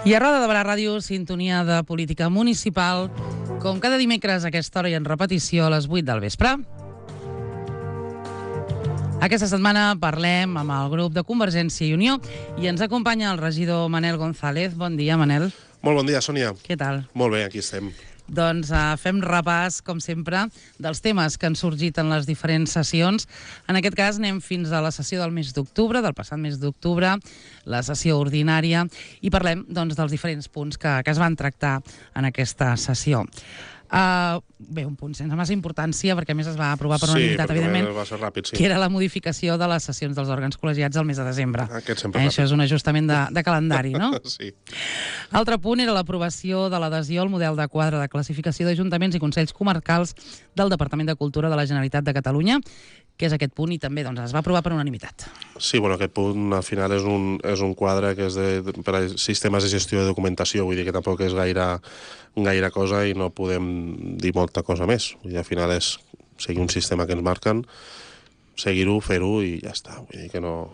I a Roda de Barà Ràdio, sintonia de política municipal, com cada dimecres a aquesta hora i en repetició a les 8 del vespre. Aquesta setmana parlem amb el grup de Convergència i Unió i ens acompanya el regidor Manel González. Bon dia, Manel. Molt bon dia, Sònia. Què tal? Molt bé, aquí estem. Doncs fem repàs, com sempre, dels temes que han sorgit en les diferents sessions. En aquest cas anem fins a la sessió del mes d'octubre, del passat mes d'octubre, la sessió ordinària, i parlem doncs, dels diferents punts que es van tractar en aquesta sessió. Bé, un punt sense massa importància, perquè a més es va aprovar per unanimitat, evidentment, va ser ràpid, sí. Que era la modificació de les sessions dels òrgans col·legiats al mes de desembre. Aquest sempre ràpid. Això és un ajustament de calendari, no? Sí. Altre punt era l'aprovació de l'adhesió al model de quadre de classificació d'ajuntaments i consells comarcals del Departament de Cultura de la Generalitat de Catalunya, que és aquest punt, i també doncs, es va aprovar per unanimitat. Sí, bueno, aquest punt al final és un quadre que és per a sistemes de gestió de documentació, vull dir que tampoc és gaire cosa i no podem dir molta cosa més. Vull dir, al final és seguir un sistema que ens marquen, seguir-ho, fer-ho i ja està. Vull dir que no...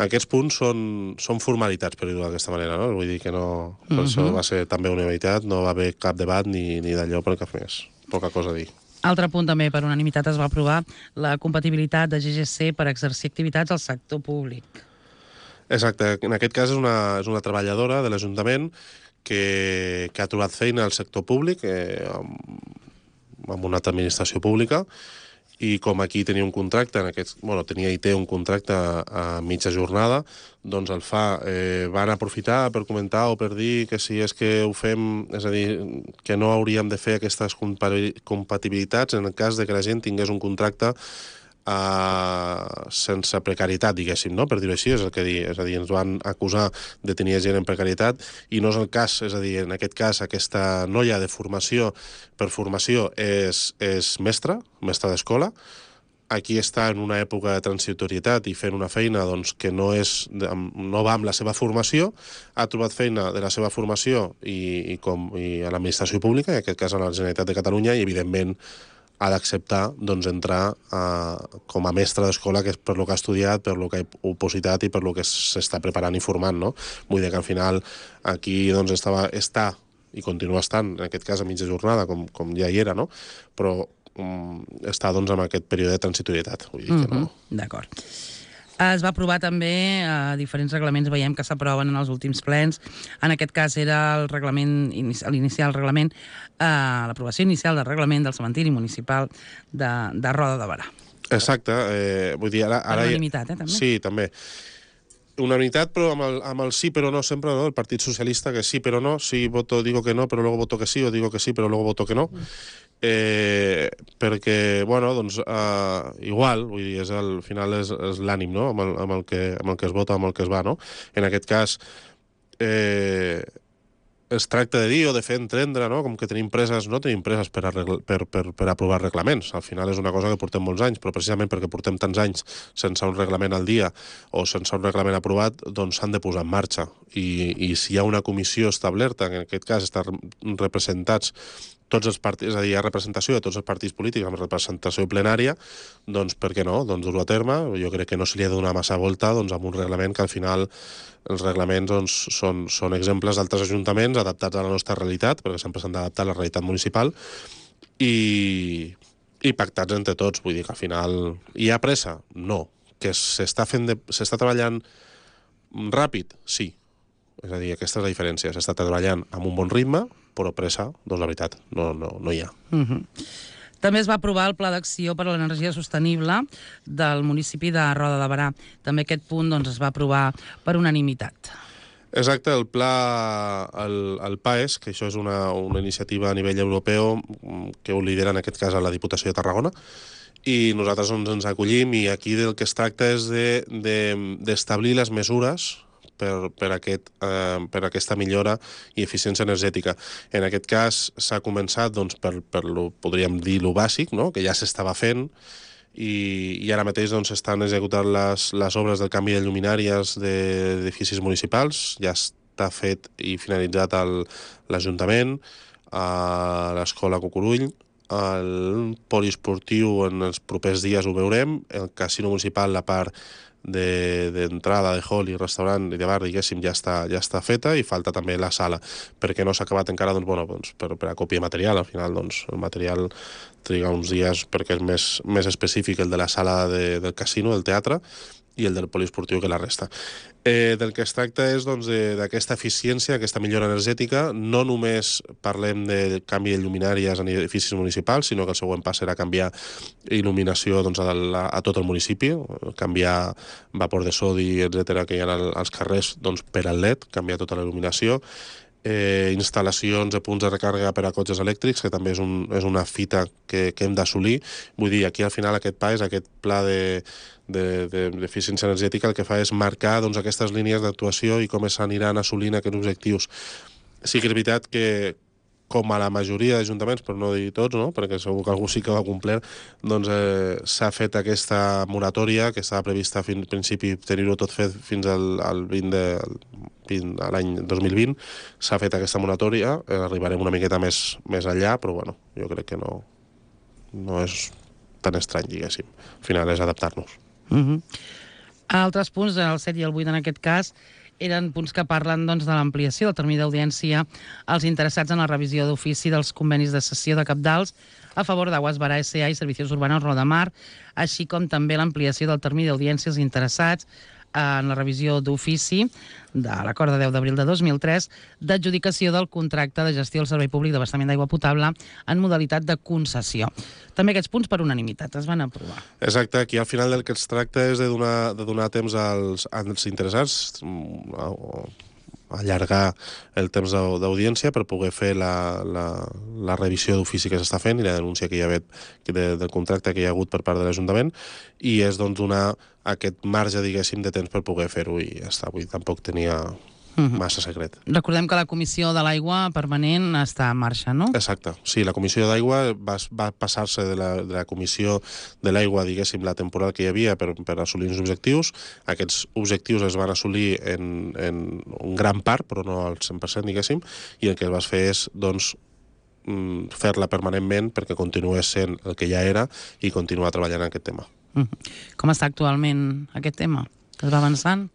Aquests punts són formalitats, per dir-ho d'aquesta manera, no? Vull dir que no... Per això va ser també unanimitat, no va haver cap debat ni d'allò per cap més. Poca cosa a dir. Altre punt també per unanimitat es va aprovar la compatibilitat de GGC per exercir activitats al sector públic. Exacte. En aquest cas és una treballadora de l'Ajuntament que ha trobat feina al sector públic, amb una altra administració pública, i com aquí tenia un contracte, tenia i té un contracte a mitja jornada, doncs van aprofitar per comentar o per dir que si és que ho fem, és a dir, que no hauríem de fer aquestes compatibilitats en el cas de que la gent tingués un contracte sense precarietat, diguéssim, no? Per dir-ho així, és el que dir. És a dir, ens van acusar de tenir gent en precarietat i no és el cas. És a dir, en aquest cas, aquesta noia de formació, per formació, és mestra d'escola. Aquí està en una època de transitorietat i fent una feina doncs, que no va amb la seva formació, ha trobat feina de la seva formació i a l'administració pública, en aquest cas a la Generalitat de Catalunya, i evidentment ha d'acceptar doncs, entrar com a mestre d'escola, que és per lo que ha estudiat, per lo que ha opositat i per lo que s'està preparant i formant, no? Vull dir que al final aquí doncs, està i continua estant, en aquest cas a mitja jornada, com ja hi era, no? Però està doncs, en aquest període de transitorietat. Vull dir que no. D'acord. Es va aprovar també diferents reglaments, veiem que s'aproven en els últims plens. En aquest cas era l'aprovació inicial del reglament del cementiri municipal de Roda de Barà. Exacte. Vull dir, ara... Per unanimitat, també? Sí, també. Unanimitat, però amb el sí però no sempre, no? El Partit Socialista, que sí però no, sí digo que no, però luego voto que sí, o digo que sí, però luego voto que no. Perquè, bueno, doncs, igual, vull dir, al final és l'ànim, no?, amb el que es vota, amb el que es va, no? En aquest cas, es tracta de dir o de fer entendre, no?, com que tenim presses per aprovar reglaments. Al final és una cosa que portem molts anys, però precisament perquè portem tants anys sense un reglament al dia o sense un reglament aprovat, doncs s'han de posar en marxa. I si hi ha una comissió establerta, en aquest cas estan representats tots els partits, és a dir, hi ha representació de tots els partits polítics amb representació plenària, doncs per què no? Doncs dur-ho a terme. Jo crec que no se li ha de donar massa volta doncs, amb un reglament que al final els reglaments doncs, són exemples d'altres ajuntaments adaptats a la nostra realitat, perquè sempre s'han d'adaptar a la realitat municipal, i pactats entre tots. Vull dir que al final hi ha pressa? No. Que s'està treballant ràpid? Sí. És a dir, aquesta és la diferència. S'està treballant amb un bon ritme, però pressa, doncs la veritat, no hi ha. També es va aprovar el Pla d'Acció per a l'Energia Sostenible del municipi de Roda de Barà. També aquest punt doncs, es va aprovar per unanimitat. Exacte, el pla, el PAES, que això és una iniciativa a nivell europeu que ho lidera en aquest cas a la Diputació de Tarragona, i nosaltres ens acollim, i aquí del que es tracta és d'establir les mesures per aquesta millora i eficiència energètica. En aquest cas s'ha començat doncs, podríem dir, lo bàsic, no?, que ja s'estava fent, i ara mateix doncs, estan executant les obres del canvi de lluminàries d'edificis municipals. Ja està fet i finalitzat a l'Ajuntament, a l'Escola Cucurull, el poliesportiu en els propers dies ho veurem, el casino municipal, la part d'entrada, de hall i restaurant i de bar, diguéssim, ja està feta, i falta també la sala. Per què no s'ha acabat encara? Doncs, per acopir material. Al final, el material triga uns dies perquè és més específic el de la sala del casino, del teatre, i el del poliesportiu que la resta. Del que es tracta és d'aquesta eficiència, aquesta millora energètica. No només parlem de canvi de lluminàries en edificis municipals, sinó que el següent pas serà canviar il·luminació a tot el municipi, canviar vapor de sodi, etc que hi ha als carrers per al LED, canviar tota la il·luminació, instal·lacions de punts de recàrrega per a cotxes elèctrics, que també és una fita que hem d'assolir. Vull dir, aquí al final aquest pla d'eficiència energètica, el que fa és marcar aquestes línies d'actuació i com s'aniran assolint aquests objectius. Sí que és veritat que, com a la majoria d'ajuntaments, per no dir tots, no? Perquè segur que algú sí que ho ha complert, s'ha fet aquesta moratòria, que estava prevista en principi tenir-ho tot fet fins al 20 a l'any 2020. S'ha fet aquesta moratòria, arribarem una miqueta més enllà, però bueno, jo crec que no és tan estrany, diguéssim. Al final és adaptar-nos. Altres punts, el 7 i el 8 en aquest cas, eren punts que parlen de l'ampliació del termini d'audiència als interessats en la revisió d'ofici dels convenis de cessió de cabdals a favor d'Aguas Bará S.A. i Servicios Urbanos Rodamar, així com també l'ampliació del termini d'audiència als interessats en la revisió d'ofici de l'acord de 10 d'abril de 2003 d'adjudicació del contracte de gestió del servei públic d'abastament d'aigua potable en modalitat de concessió. També aquests punts per unanimitat es van aprovar. Exacte, aquí al final del que es tracta és de donar temps als interessats, allargar el temps d'audiència per poder fer la revisió d'ofici que s'està fent i la denúncia que hi ha hagut del contracte que hi ha hagut per part de l'Ajuntament, i és donar aquest marge, diguéssim, de temps per poder fer-ho, i ja està. Vull dir, tampoc tenia massa secret. Recordem que la Comissió de l'Aigua permanent està en marxa, no? Exacte. Sí, la Comissió d'Aigua va passar-se de la Comissió de l'Aigua, diguéssim, la temporal que hi havia per assolir uns objectius. Aquests objectius es van assolir en un gran part, però no al 100%, diguéssim, i el que es va fer és, fer-la permanentment perquè continués sent el que ja era i continuar treballant en aquest tema. Com està actualment aquest tema? Es va avançant?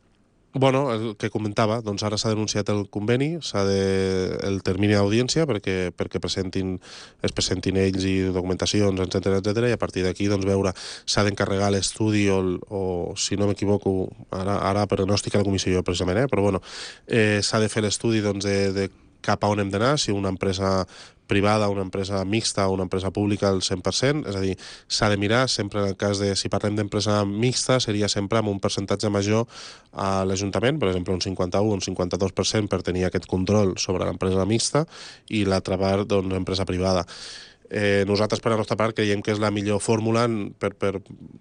Bueno, el que comentava, ara s'ha denunciat el conveni, el termini d'audiència perquè es presentin ells i documentacions, etc, i a partir d'aquí veure, s'ha d'encarregar l'estudi o, si no m'equivoco, ara per no estic a la comissió jo precisament, però bueno, s'ha de fer l'estudi de cap a on hem d'anar, si una empresa privada, una empresa mixta o una empresa pública al 100%, és a dir, s'ha de mirar, sempre en el cas de, si parlem d'empresa mixta, seria sempre amb un percentatge major a l'Ajuntament, per exemple un 51 o un 52% per tenir aquest control sobre l'empresa mixta, i l'altra part, empresa privada. Nosaltres, per la nostra part, creiem que és la millor fórmula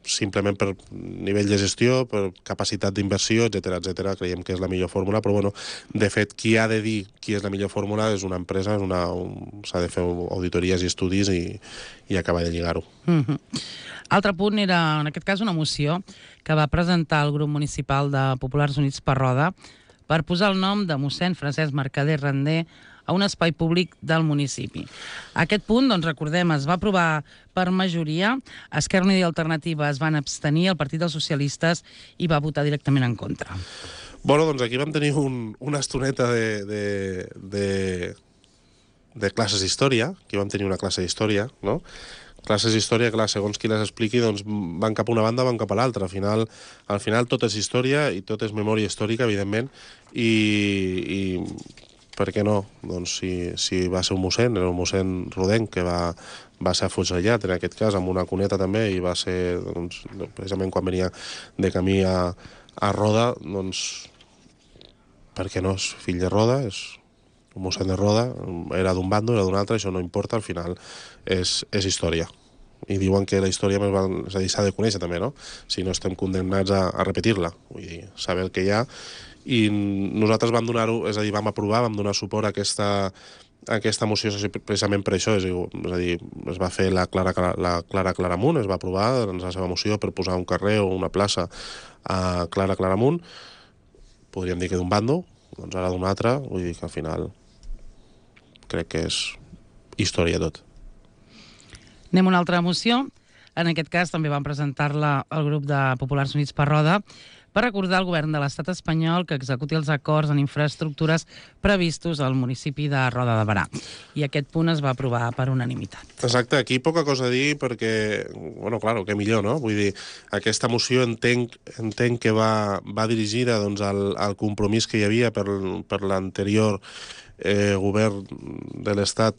simplement per nivell de gestió, per capacitat d'inversió, etc. Creiem que és la millor fórmula, però bueno, de fet, qui ha de dir qui és la millor fórmula és una empresa, s'ha de fer auditories i estudis i acabar de lligar-ho. Altre punt era, en aquest cas, una moció que va presentar el grup municipal de Populars Units per Roda per posar el nom de mossèn Francesc Mercader Randé a un espai públic del municipi. Aquest punt, recordem, es va aprovar per majoria, Esquerra Unida i Alternativa es van abstenir, el Partit dels Socialistes hi va votar directament en contra. Bueno, aquí vam tenir una estoneta de classes d'història, aquí vam tenir una classe d'història, no? Classes d'història, clar, segons qui les expliqui, van cap a una banda, van cap a l'altra. Al final tot és història i tot és memòria històrica, evidentment, i per què no? Si va ser un mossèn, era un mossèn rodenc que va ser afusellat, en aquest cas, amb una cuneta també, i va ser, precisament quan venia de camí a Roda, per què no? És fill de Roda, és un mossèn de Roda, era d'un bando, era d'un altre, això no importa, al final és història. I diuen que la història s'ha de conèixer també, no? Si no estem condemnats a repetir-la, vull dir, saber el que hi ha. I nosaltres vam donar-ho, és a dir, vam donar suport a aquesta moció precisament per això, és a dir, es va fer la Clara Claramunt, es va aprovar en la seva moció per posar un carrer o una plaça a Clara Claramunt, podríem dir que d'un bando, ara d'un altre, vull dir que al final crec que és història tot. Anem a una altra moció. En aquest cas també van presentar-la el grup de Populars Units per Roda per recordar al govern de l'estat espanyol que executi els acords en infraestructures previstos al municipi de Roda de Berà. I aquest punt es va aprovar per unanimitat. Exacte, aquí poca cosa a dir perquè, bueno, claro, que millor, no? Vull dir, aquesta moció entenc que va dirigida doncs, al compromís que hi havia per l'anterior govern de l'Estat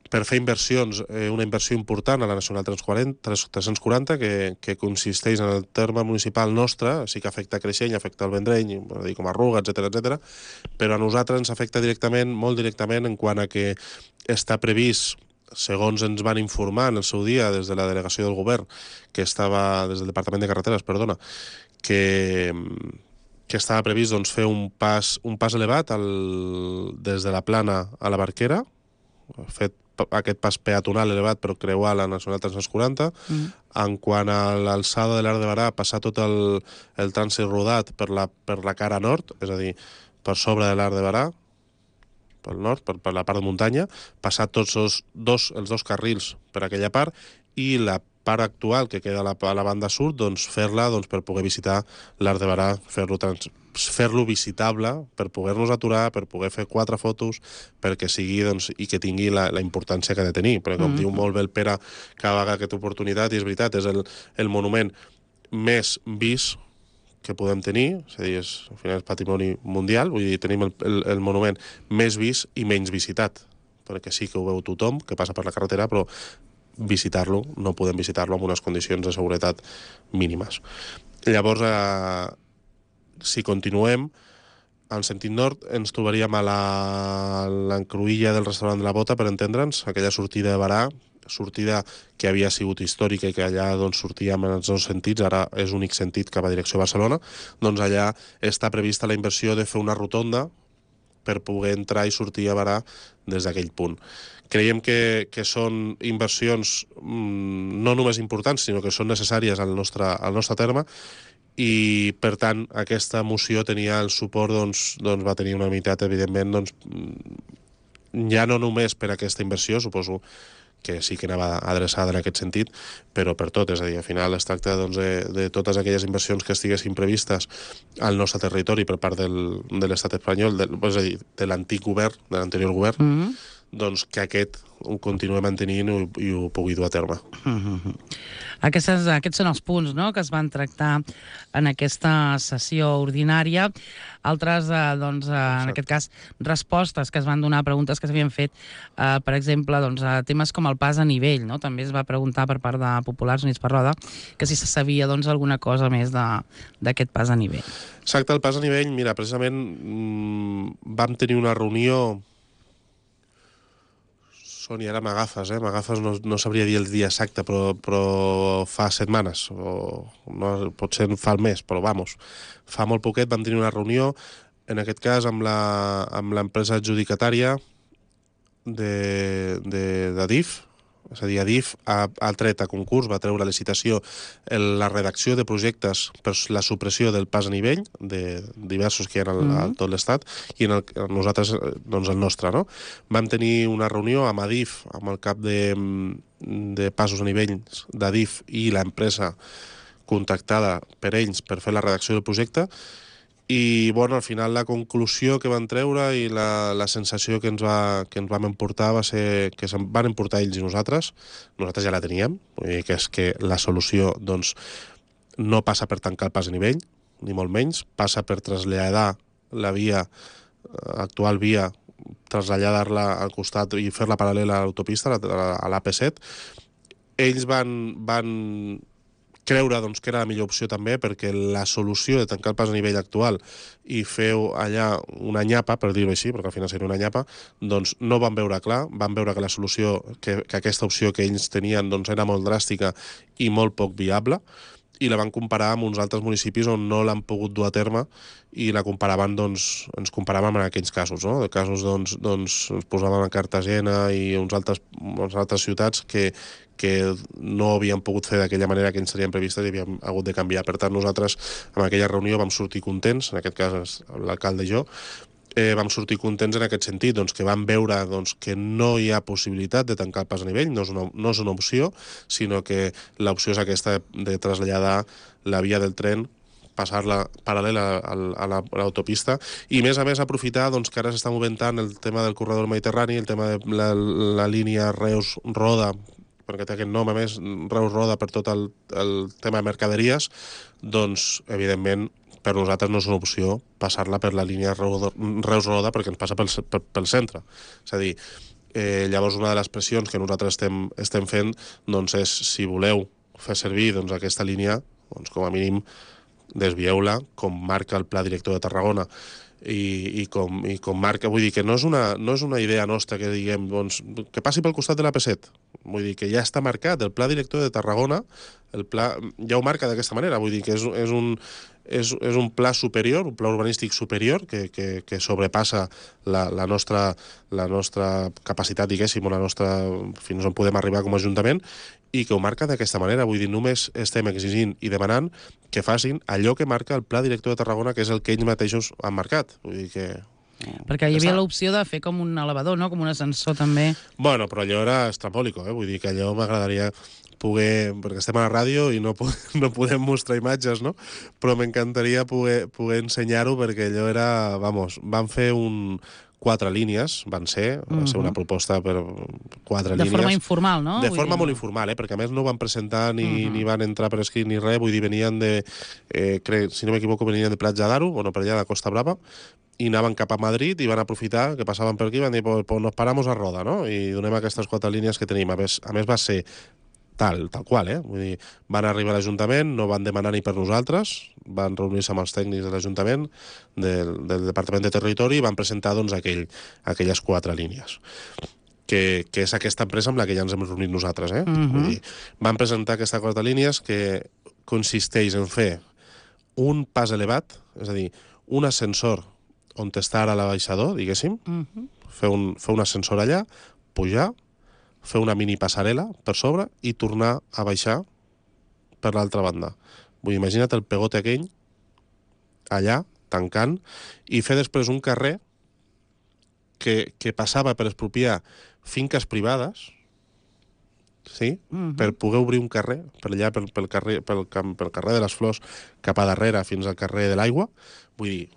per fer inversions, una inversió important a la Nacional 340, que consisteix en el terme municipal nostre, sí que afecta Creixell, afecta el Vendrell, com a Ruga, etc, però a nosaltres ens afecta directament, molt directament, en quant a que està previst, segons ens van informar en el seu dia des de la delegació del govern, des del Departament de Carreteres, perdona, que estava previst doncs, fer un pas elevat des de la Plana a la Barquera, fet aquest pas peatonal elevat per creuar la Nacional 340. En quant a l'alçada de l'Arc de Berà, passar tot el trànsit rodat per la cara nord, és a dir, per sobre de l'Arc de Berà, pel nord, per la part de muntanya, passar tots els dos carrils per aquella part, i la part actual que queda a la banda sud, doncs fer-la per poder visitar l'Arc de Berà, fer-lo visitable, per poder-nos aturar, per poder fer 4 fotos, perquè sigui i que tingui la importància que ha de tenir. Perquè com diu molt bé el Pere cada vegada aquesta oportunitat, i és veritat, és el monument més vist que podem tenir, és a dir, al final és patrimoni mundial, vull dir, tenim el monument més vist i menys visitat, perquè sí que ho veu tothom que passa per la carretera, però visitar-lo, no podem visitar-lo amb unes condicions de seguretat mínimes. Llavors, si continuem, en sentit nord, ens trobaríem a l'encruïlla del restaurant de la Bota, per entendre'ns, aquella sortida de Berà, sortida que havia sigut històrica i que allà sortíem en els dos sentits, ara és únic sentit cap a direcció Barcelona, doncs allà està prevista la inversió de fer una rotonda per poder entrar i sortir a Berà des d'aquell punt. Creiem que són inversions no només importants, sinó que són necessàries al nostre terme, i per tant aquesta moció tenia el suport, va tenir una unanimitat, evidentment, ja no només per aquesta inversió, suposo que sí que anava adreçada en aquest sentit, però per tot, és a dir, al final es tracta de totes aquelles inversions que estiguessin previstes al nostre territori per part de l'estat espanyol, és a dir, de l'antic govern, de l'anterior govern, doncs que aquest ho continuem mantenint i ho pugui dur a terme. Aquests són els punts, no?, que es van tractar en aquesta sessió ordinària. Altres, en aquest cas, respostes que es van donar a preguntes que s'havien fet, per exemple, a temes com el pas a nivell, no? També es va preguntar per part de Populars Units per Roda que si se sabia alguna cosa més d'aquest pas a nivell. Exacte, el pas a nivell, mira, precisament vam tenir una reunió. Sònia, ara m'agafes, no sabria dir el dia exacte, però fa setmanes, o no, potser fa el mes, però fa molt poquet vam tenir una reunió, en aquest cas amb l'empresa adjudicatària d'Adif, és a dir, Adif ha tret a concurs, va treure a licitació la redacció de projectes per la supressió del pas a nivell, de diversos que hi ha a tot l'Estat, i nosaltres, el nostre, no? Vam tenir una reunió amb Adif, amb el cap de passos a nivell d'Adif i l'empresa contactada per ells per fer la redacció del projecte, i al final la conclusió que van treure i la sensació que ens vam emportar va ser que se'n van emportar ells i nosaltres ja la teníem, vull dir que és que la solució no passa per tancar el pas a nivell, ni molt menys, passa per traslladar la actual via, traslladar-la al costat i fer-la paral·lela a l'autopista, a l'AP7. Ells van creure que era la millor opció també, perquè la solució de tancar el pas a nivell actual i fer allà una nyapa, per dir-ho així, perquè al final seria una nyapa, no van veure clar, van veure que la solució, que aquesta opció que ells tenien era molt dràstica i molt poc viable, i la van comparar amb uns altres municipis on no l'han pogut dur a terme, i la comparaven, ens comparàvem en aquells casos, no? De casos, ens posàvem a Cartagena i unes altres ciutats que no havien pogut fer d'aquella manera que ens serien previstes i havíem hagut de canviar. Per tant, nosaltres en aquella reunió vam sortir contents, en aquest cas l'alcalde i jo, vam sortir contents en aquest sentit, que vam veure que no hi ha possibilitat de tancar el pas a nivell, no és una opció, sinó que l'opció és aquesta de traslladar la via del tren passar-la paral·lela a l'autopista, i a més aprofitar doncs, que ara s'està moventant el tema del corredor mediterrani, el tema de la línia Reus-Roda, perquè té aquest nom, a més, Reus-Roda per tot el tema de mercaderies, doncs, evidentment, per nosaltres no és una opció passar-la per la línia Reus-Roda perquè ens passa pel centre. És a dir, llavors una de les pressions que nosaltres estem fent doncs és, si voleu fer servir doncs, aquesta línia, doncs, com a mínim desvieu-la, com marca el Pla Director de Tarragona, i com marca, vull dir que no és una idea nostra que diguem doncs, que passi pel costat de l'AP7, vull dir que ja està marcat, el Pla Director de Tarragona el pla ja ho marca d'aquesta manera, vull dir que és un pla superior, un pla urbanístic superior que sobrepassa la nostra capacitat, diguéssim, o la nostra, fins on podem arribar com a Ajuntament, i que ho marca d'aquesta manera. Vull dir, només estem exigint i demanant que facin allò que marca el Pla Director de Tarragona, que és el que ells mateixos han marcat. Vull dir que... Perquè hi havia l'opció de fer com un elevador, no? Com un ascensor, també. Bueno, però allò era estrambòlico, vull dir que allò m'agradaria poder... Perquè estem a la ràdio i no podem mostrar imatges, no? Però m'encantaria poder ensenyar-ho, perquè allò era... Vamos, van fer 4 línies, va ser una proposta per 4 línies. De forma informal, no? De forma molt informal, perquè a més no van presentar ni van entrar per escrit ni res, vull dir, venien de, si no m'equivoco, venien de Platja d'Aro, bueno, per allà de Costa Brava, i anaven cap a Madrid i van aprofitar que passaven per aquí i van dir, pues nos paramos a Roda, no? I donem aquestes 4 línies que tenim. A més va ser tal qual, vull dir, van arribar a l'Ajuntament, no van demanar ni per nosaltres, van reunir-se amb els tècnics de l'Ajuntament, del Departament de Territori, i van presentar doncs, aquelles 4 línies, que és aquesta empresa amb la que ja ens hem reunit nosaltres. Vull dir, van presentar aquestes 4 línies que consisteix en fer un pas elevat, és a dir, un ascensor on està ara l'abaixador, diguéssim, fer un ascensor allà, pujar, fer una mini passarel·la per sobre i tornar a baixar per l'altra banda. Vull dir, imagina't el pegote aquell allà, tancant, i fer després un carrer que passava per expropiar finques privades, sí? Per poder obrir un carrer, per allà, pel carrer de les Flors, cap a darrere, fins al carrer de l'Aigua. Vull dir...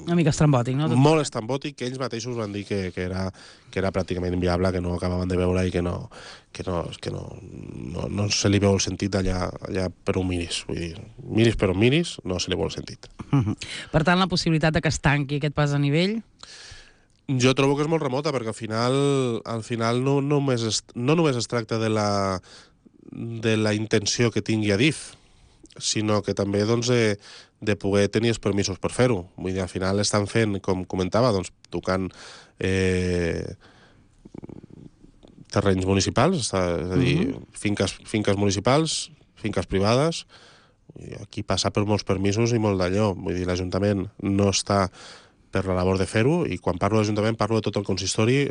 una mica estrambòtic, no? Molt estrambòtic, que ells mateixos van dir que era pràcticament inviable, que no acabaven de veure i que no se li veu el sentit allà per on miris. Vull dir, miris per on miris, no se li veu el sentit. Per tant, la possibilitat de que es tanqui aquest pas a nivell... Jo trobo que és molt remota, perquè al final no només es tracta de la intenció que tingui Adif, sinó que també doncs, de poder tenir els permisos per fer-ho. Vull dir, al final estan fent, com comentava, doncs, tocant terrenys municipals, és a dir, finques municipals, finques privades. Aquí passa per molts permisos i molt d'allò. Vull dir, l'Ajuntament no està per la labor de fer-ho, i quan parlo d'Ajuntament parlo de tot el consistori,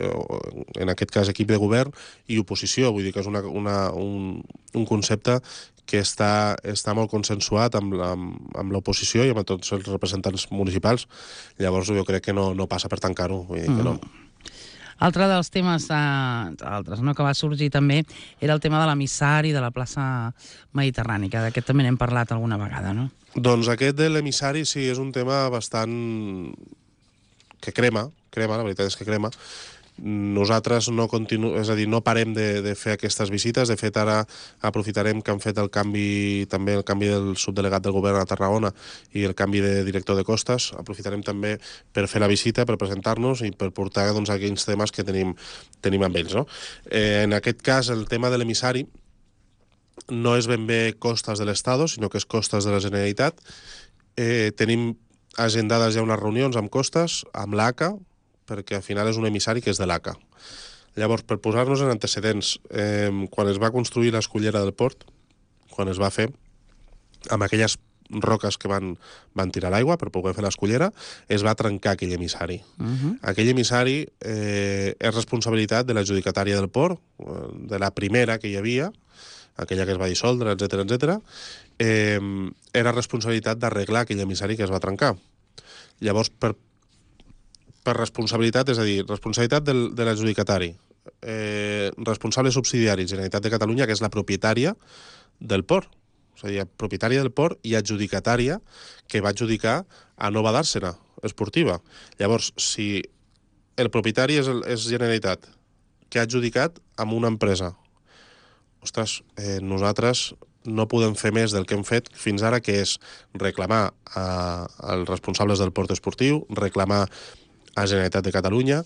en aquest cas equip de govern i oposició. Vull dir que és un concepte que està molt consensuat amb l'oposició i amb tots els representants municipals. Llavors jo crec que no passa per tancar-ho, vull dir que no. Altre dels temes que va sorgir també era el tema de l'emissari de la plaça Mediterrani, que d'aquest també n'hem parlat alguna vegada, no? Doncs aquest de l'emissari sí, és un tema bastant... que crema, la veritat és que crema. Nosaltres no parem de fer aquestes visites. De fet, ara aprofitarem que han fet el canvi del subdelegat del govern a Tarragona i el canvi de director de costes. Aprofitarem també per fer la visita, per presentar-nos i per portar doncs, aquells temes que tenim amb ells. No? En aquest cas, el tema de l'emissari no és ben bé costes de l'Estado, sinó que és costes de la Generalitat. Tenim agendades ja unes reunions amb costes, amb l'ACA, perquè al final és un emissari que és de l'ACA. Llavors, per posar-nos en antecedents, quan es va construir l'escullera del port, quan es va fer, amb aquelles roques que van tirar l'aigua per poder fer l'escullera, es va trencar aquell emissari. Aquell emissari és responsabilitat de l'adjudicatària del port, de la primera que hi havia, aquella que es va dissoldre, etc. Era responsabilitat d'arreglar aquell emissari que es va trencar. Llavors, per responsabilitat, és a dir, responsabilitat de l'adjudicatari, responsable subsidiari, Generalitat de Catalunya, que és la propietària del port. és a dir, propietària del port i adjudicatària que va adjudicar a Nova Dàrsena Esportiva. Llavors, si el propietari és Generalitat, que ha adjudicat amb una empresa, ostres, nosaltres no podem fer més del que hem fet fins ara, que és reclamar als responsables del port esportiu, reclamar a Generalitat de Catalunya,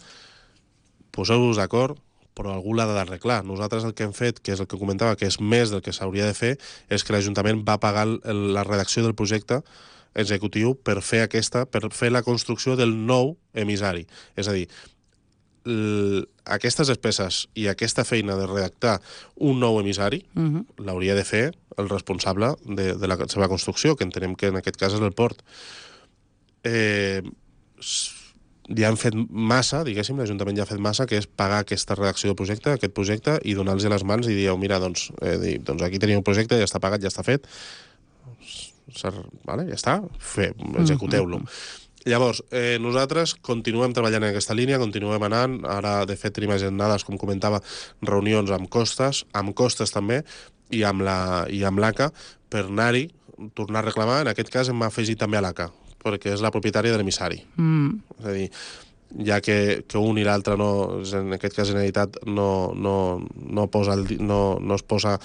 poseu-vos d'acord, però algú l'ha d'arreglar. Nosaltres el que hem fet, que és el que comentava, que és més del que s'hauria de fer, és que l'Ajuntament va pagar la redacció del projecte executiu per fer la construcció del nou emissari. És a dir, aquestes despeses i aquesta feina de redactar un nou emissari l'hauria de fer el responsable de la seva construcció, que entenem que en aquest cas és el port. Ja han fet massa, diguéssim, l'Ajuntament ja ha fet massa, que és pagar aquesta redacció del projecte, aquest projecte, i donar-los a les mans i dir, mira, doncs aquí teniu un projecte, ja està pagat, ja està fet, vale, ja està, executeu-lo. Llavors, nosaltres continuem treballant en aquesta línia, continuem anant, ara de fet tenim agendades, com comentava, reunions amb Costes també, i amb l'ACA, per anar-hi, tornar a reclamar. En aquest cas hem afegit també a l'ACA, perquè és la propietària de l'emissari. És a dir, ja que un i l'altre, en aquest cas Generalitat, no es posa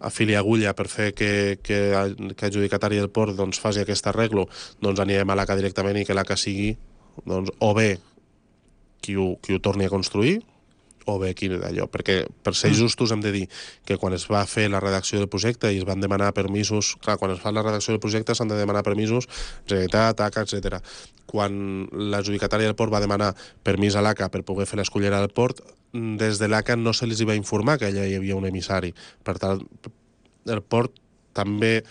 a fil i agulla per fer que adjudicatari del port faci aquest arreglo, doncs anirem a l'ACA directament i que l'ACA sigui o bé qui ho torni a construir, o bé quin d'allò, perquè per ser justos hem de dir que quan es va fer la redacció del projecte i es van demanar permisos, clar, quan es fa la redacció del projecte s'han de demanar permisos, Generalitat, ACA, etc. Quan l'adjudicatària del port va demanar permís a l'ACA per poder fer l'escollera del port, des de l'ACA no se li va informar que allà hi havia un emissari. Per tant, el port també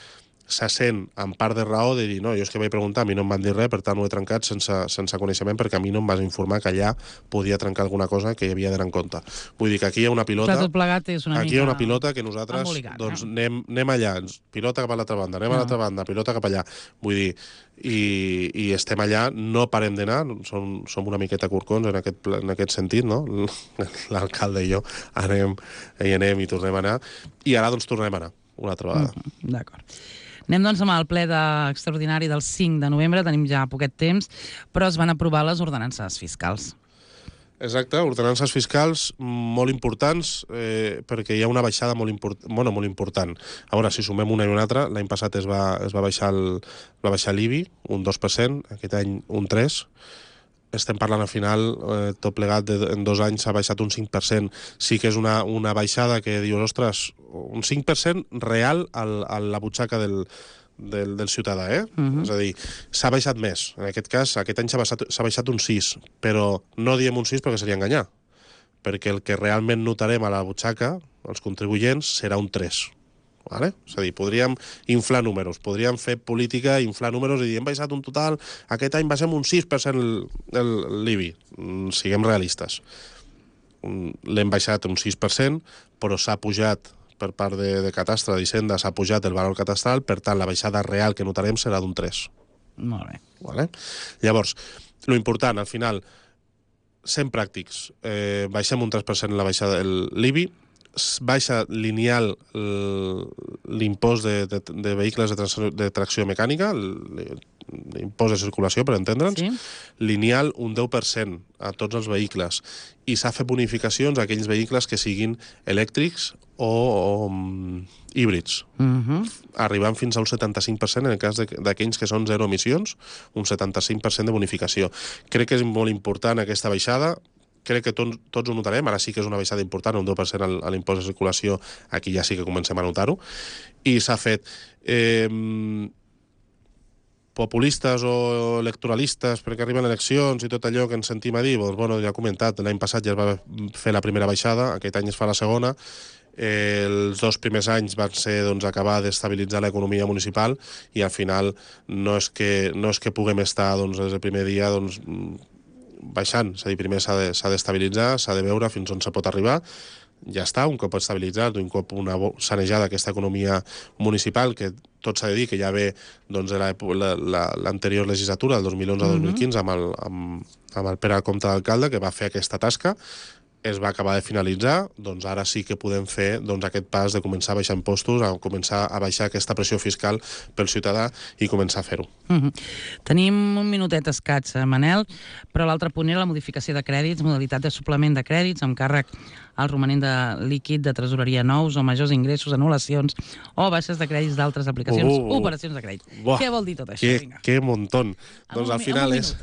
s'assent amb part de raó de dir, no, jo és que vaig preguntar, a mi no em van dir res, per tant ho he trencat sense coneixement, perquè a mi no em vas informar que allà podia trencar alguna cosa que hi havia d'anar en compte. Vull dir que aquí hi ha una pilota... Tot plegat és una aquí mica... hi ha una pilota que nosaltres anem allà, pilota cap a l'altra banda, anem a l'altra banda, pilota cap allà. Vull dir, i estem allà, no parem d'anar, som una miqueta curcons en aquest sentit, no? L'alcalde i jo anem i tornem a anar, i ara doncs tornem a anar una altra vegada. D'acord. Anem doncs amb el ple extraordinari del 5 de novembre, tenim ja poquet temps, però es van aprovar les ordenances fiscals. Exacte, ordenances fiscals molt importants, perquè hi ha una baixada molt important. A veure, si sumem una i una altra, l'any passat es va baixar l'IBI, un 2%, aquest any un 3%, estem parlant al final, tot plegat, en 2 anys s'ha baixat un 5%. Sí que és una baixada que dius, ostres, un 5% real a la butxaca del ciutadà, És a dir, s'ha baixat més. En aquest cas, aquest any s'ha baixat un 6%, però no diem un 6% perquè seria enganyar, perquè el que realment notarem a la butxaca, els contribuents, serà un 3%. Vale? És a dir, podríem inflar números, podríem fer política, inflar números i dir, hem baixat un total, aquest any baixem un 6% l'IBI. Siguem realistes. L'hem baixat un 6%, però s'ha pujat per part de Catastre, d'Hisenda, s'ha pujat el valor catastral, per tant, la baixada real que notarem serà d'un 3%. Molt bé. Vale? Llavors, lo important, al final, sent pràctics, baixem un 3% la baixada de l'IBI, baixa lineal l'impost de vehicles de tracció mecànica, l'impost de circulació, per entendre'ns, lineal un 10% a tots els vehicles, i s'ha fet bonificacions a aquells vehicles que siguin elèctrics o híbrids, arribant fins al 75% en el cas d'aquells que són zero emissions, un 75% de bonificació. Crec que és molt important aquesta baixada. Crec que tots ho notarem, ara sí que és una baixada important, un 10% a l'impost de circulació, aquí ja sí que comencem a notar-ho, i s'ha fet populistes o electoralistes perquè arriben eleccions i tot allò que ens sentim a dir, doncs, bueno, ja he comentat, l'any passat ja es va fer la primera baixada, aquest any es fa la segona, els 2 primers anys van ser acabar d'estabilitzar l'economia municipal i al final no és que puguem estar des del primer dia baixant, és a dir, primer s'ha d'estabilitzar, s'ha de veure fins on se pot arribar, ja està, un cop estabilitzat, un cop sanejada aquesta economia municipal, que tot s'ha de dir que ja ve de l'anterior legislatura, del 2011-2015, amb el Pere Comte d'alcalde, que va fer aquesta tasca, es va acabar de finalitzar, doncs ara sí que podem fer aquest pas de començar a baixar impostos, a començar a baixar aquesta pressió fiscal pel ciutadà i començar a fer-ho. Tenim un minutet escaig, Manel, però l'altre punt era la modificació de crèdits, modalitat de suplement de crèdits amb càrrec al romanent de líquid de tresoreria nous o majors ingressos, anul·lacions o baixes de crèdits d'altres aplicacions, operacions de crèdit. Què vol dir tot això? Que montón. Doncs al final és...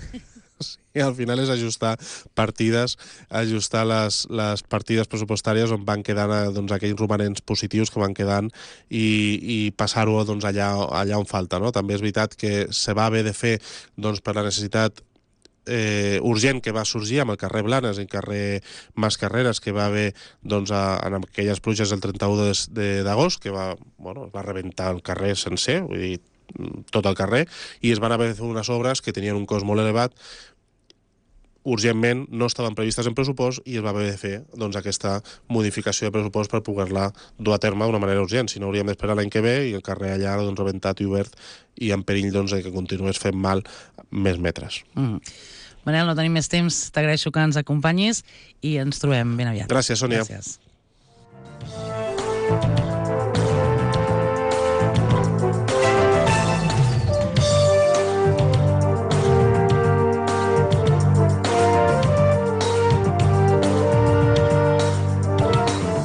Sí, al final és ajustar partides, ajustar les partides pressupostàries on van quedant aquells romanents positius que van quedant i passar-ho allà on falta. No? També és veritat que se va haver de fer per la necessitat urgent que va sorgir amb el carrer Blanes i el carrer Mascarreres, que va haver en aquelles pluges del 31 d'agost, que va rebentar el carrer sencer, vull dir, tot el carrer, i es van haver de fer unes obres que tenien un cost molt elevat, urgentment no estaven previstes en pressupost i es va haver de fer aquesta modificació de pressupost per poder-la dur a terme d'una manera urgent. Si no, hauríem d'esperar l'any que ve i el carrer allà rebentat i obert i en perill que continués fent mal més metres. Manel, no tenim més temps. T'agraeixo que ens acompanyis i ens trobem ben aviat. Gràcies, Sònia. Gràcies.